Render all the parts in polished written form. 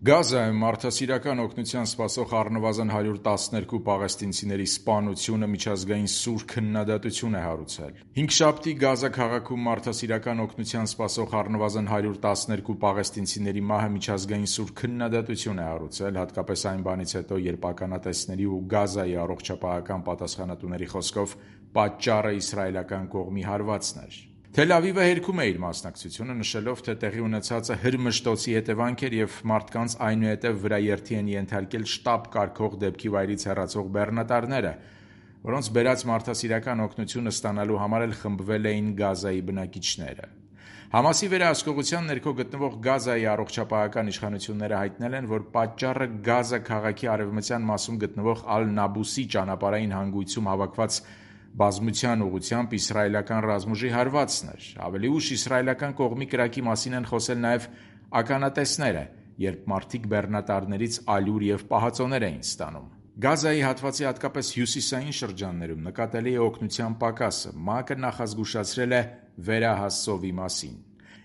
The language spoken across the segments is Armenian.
Գազայում մարդասիրական օգնության սպասող առնվազն 112 պաղեստինցիների սպանությունը միջազգային սուր քննադատություն է հարուցել։ Հինգշաբթի Գազա քաղաքում մարդասիրական օգնության սպասող առնվազն 112 պաղեստինցիների մահը միջազգային սուր քննադատություն է հարուցել, հատկապես այն բանից հետո, երբ ականատեսների ու Գազայի առողջապահական պատասխանատուների խոսքով պատճառը իսրայելական կողմի հարվածն էր։ Թել Ավիվը հերքում է իր մասնակցությունը, նշելով, թե տեղի ունեցածը հրմշտոցի հետևանք էր և մարդկանց այնուհետև վրաերթի են ենթարկել շտապ կարգող դեպքի վայրից հեռացող բեռնատարները, որոնց բերած մարդասիրական օգնությունը ստանալու համար էլ խմբվել էին Գազայի բնակիչները։ Համասի վերահսկողության ներքո գտնվող Գազայի առողջապահական իշխանությունները հայտնել են, որ պատճառը Գազա քաղաքի արևմտյան մասում գտնվող Ալ-Նաբուսի ճանապարհային հանգույցում հավաքված բազմության ուղղությամբ իսրայելական ռազմուժի հարվածն էր։ Ավելի ուշ իսրայելական կողմի կրակի մասին են խոսել նաև ականատեսները, երբ մարդիկ բեռնատարներից ալյուր և պահածոներ էին ստանում։ Գազայի հատվածի հատկապես հյուսիսային շրջաններում նկատելի է օգնության պակասը։ ՄԱԿ-ը նախազգուշացրել է վերահաս ծովի մասին։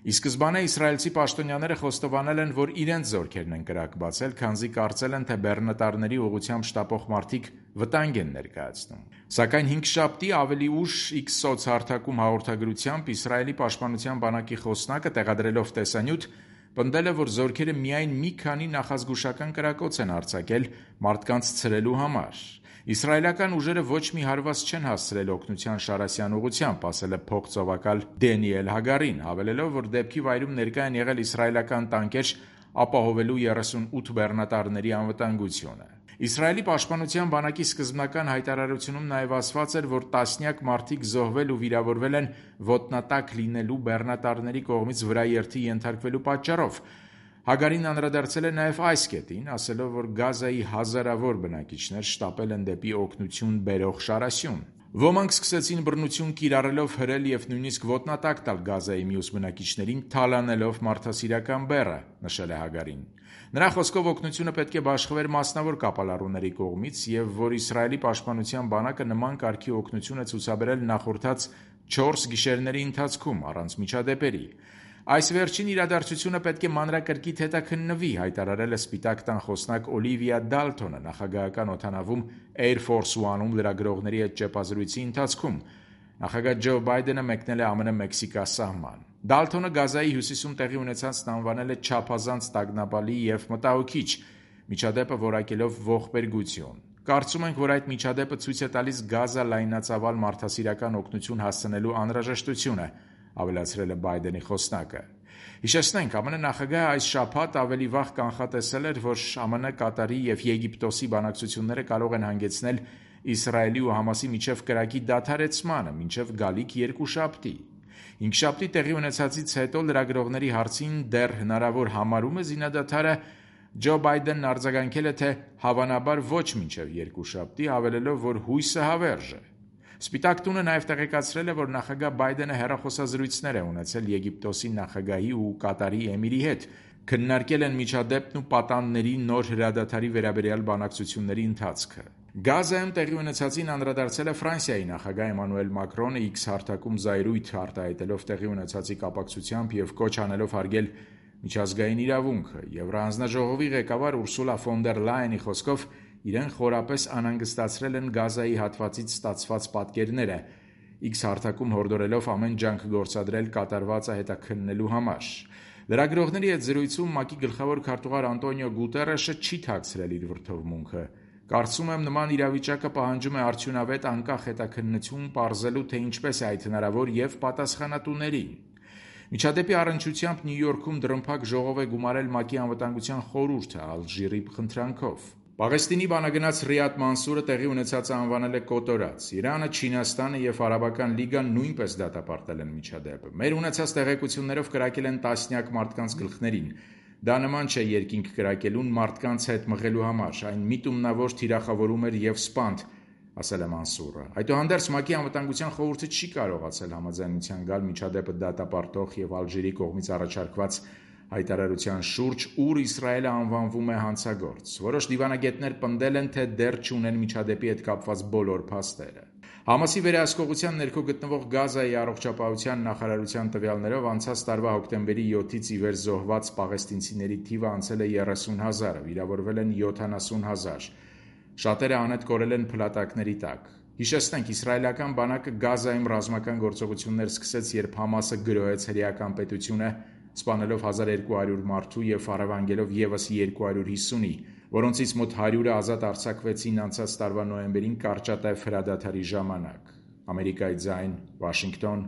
Ի սկզբանե իսրայելցի պաշտոնյաները խոստովանել են, որ իրենց զորքերն են կրակ բացել, քանզի կարծել են, թե բեռնատարների ուղղությամբ շտապող մարդիկ վտանգ են ներկայացնում։ Սակայն հինգշաբթի ավելի ուշ X սոցհարթակում հաղորդագրությամբ Իսրայելի պաշտպանության բանակի խոսնակը, տեղադրելով տեսանյութ, պնդել է, որ զորքերը միայն մի քանի նախազգուշական կրակոց են արձակել մարդկանց ցրելու համար։ Իսրայելական ուժերը ոչ մի հարված չեն հասցրել օգնության շարասյան ուղղությամբ, ասել է փոխծովակալ Դենիել Հագարին, հավելելով, որ դեպքի վայրում ներկա են եղել իսրայելական տանկեր ապահովելու 38 բեռնատարների անվտանգությունը։ Իսրայելի պաշտպանության բանակի սկզբնական հայտարարությունում նաև ասված էր, որ տասնյակ մարդիկ զոհվել ու վիրավորվել են ոտնատակ լինելու բեռնատարների կողմից վրաերթի ենթարկվելու պատճառով։ Հագարին անդրադարձել է նաև այս կետին, ասելով, որ Գազայի հազարավոր բնակիչներ շտապել են դեպի օգնություն բերող շարասյուն։ Ոմանք սկսեցին բռնություն կիրառելով հրել և նույնիսկ ոտնատակ տալ Գազայի մյուս բնակիչներին, թալանելով մարդասիրական բեռը, նշել է Հագարին։ Նրա խոսքով օգնությունը պետք է բաշխվեր մասնավոր կապալառուների կողմից և որ Իսրայելի պաշտպանության բանակը նման կարգի օգնություն է ցուցաբերել նախորդած 4 գիշերների ընթացքում առանց միջադեպերի։ Այս վերջին իրադարձությունը պետք է մանրակրկիտ հետաքննվի, հայտարարել է Սպիտակ տան խոսնակ Օլիվիա Դալթոնը նախագահական օդանավում Air Force One-ում լրագրողների հետ ճեպազրույցի ընթացքում։ Նախագահ Ջո Բայդենը մեկնել է ԱՄՆ-Մեքսիկա սահման։ Դալթոնը Գազայի հյուսիսում տեղի ունեցածն անվանել է չափազանց տագնապալի և մտահոգիչ, միջադեպը որակելով ողբերգություն։ Կարծում ենք, որ այդ միջադեպը ցույց է տալիս Գազա լայնածավալ մարդասիրական օգնություն հասցնելու անհրաժեշտությունը, ավելացրել է Բայդենի խոսնակը։ Հիշեցնենք, ԱՄՆ նախագահը այս շաբաթ ավելի վաղ կանխատեսել էր, որ ԱՄՆ, Կատարի և Եգիպտոսի բանակցությունները կարող են հանգեցնել Իսրայելի ու Համասի միջև կրակի դադարեցմանը մինչև գալիք երկուշաբթի։ Հինգշաբթի տեղի ունեցածից հետո լրագրողների հարցին դեռ հնարավոր համարում է զինադադարը, Ջո Բայդենն արձագանքել է, թե հավանաբար ոչ մինչև երկուշաբթի, հավելելով, որ հույսը հավերժ է։ Սպիտակ տունը նաև տեղեկացրել է, որ նախագահ Բայդենը հեռախոսազրույցներ է ունեցել Եգիպտոսի նախագահի ու Կատարի էմիրի հետ, քննարկել են միջադեպն ու պատանդների նոր հրադադարի վերաբերյալ բանակցությունների ընթացքը։ Գազայում տեղի ունեցածին անդրադարձել է Ֆրանսիայի նախագահ Էմանուել Մակրոնը X հարթակում զայրույթ արտահայտելով տեղի ունեցածի կապակցությամբ և կոչ անելով հարգել միջազգային իրավունքը։ Եվրահանձնաժողովի ղեկավար Ուրսուլա ֆոն դեր Լայենի խոսքով իրեն խորապես անհանգստացրել են Գազայի հատվածից ստացված պատկերները, X հարթակում հորդորելով ամեն ջանք գործադրել կատարվածը հետաքննելու համար։ Լրագրողների հետ զրույցում ՄԱԿ-ի գլխավոր քարտուղար Անտոնիո Գուտերեշը չի թաքցրել իր վրդովմունքը։ Կարծում եմ, նման իրավիճակը պահանջում է արդյունավետ անկախ հետաքննություն պարզելու, թե ինչպես է այդ հնարավոր և պատասխանատուներին։ Միջադեպի առնչությամբ Նյու Յորքում դռնփակ ժողով է գումարել ՄԱԿ-ի անվտանգության խորհուրդը Ալժիրի խնդրանքով։ Պաղեստինի բանագնաց Ռիադ Մանսուրը տեղի ունեցածը անվանել է կոտորած։ Իրանը, Չինաստանը և Արաբական լիգան նույնպես դատապարտել են միջադեպը։ Մեր ունեցած տեղեկություններով կրակել են տասնյակ մարդկանց գլխներին։ Դա նման չէ երկինք կրակելուն մարդկանց հետ մղելու համար, այն միտումնավոր թիրախավորում էր և սպանդ, ասել է Մանսուրը։ Այդուհանդերձ ՄԱԿ-ի անվտանգության խորհուրդը չի կարողացել համաձայնության գալ միջադեպը դատապարտող և Ալժիրի կողմից առաջարկված հայտարարության շուրջ, ուր Իսրայելը անվանվում է հանցագործ։ Որոշ դիվանագետներ պնդել են, թե դեռ չունեն միջադեպի հետ կապված բոլոր փաստերը։ Համասի վերահսկողության ներքո գտնվող Գազայի առողջապահության նախարարության տվյալներով անցած տարվա հոկտեմբերի 7-ից ի վեր զոհված պաղեստինցիների թիվը անցել է 30,000-ը, վիրավորվել են 70,000, շատերը անհետ կորել են փլատակների տակ։ Հիշեցնենք, իսրայելական բանակը Գազայում ռազմական գործողություններ սկսեց, երբ Համասը գրոհեց հրեական պետությունը, սպանելով 1200 մարդու և փառավանգելով ևս 250-ի, որոնցից մոտ 100-ը ազատ արձակվեցին անցած տարվա նոյեմբերին կարճատև հրադադարի ժամանակ։ Ամերիկայի ձայն, Վաշինգտոն,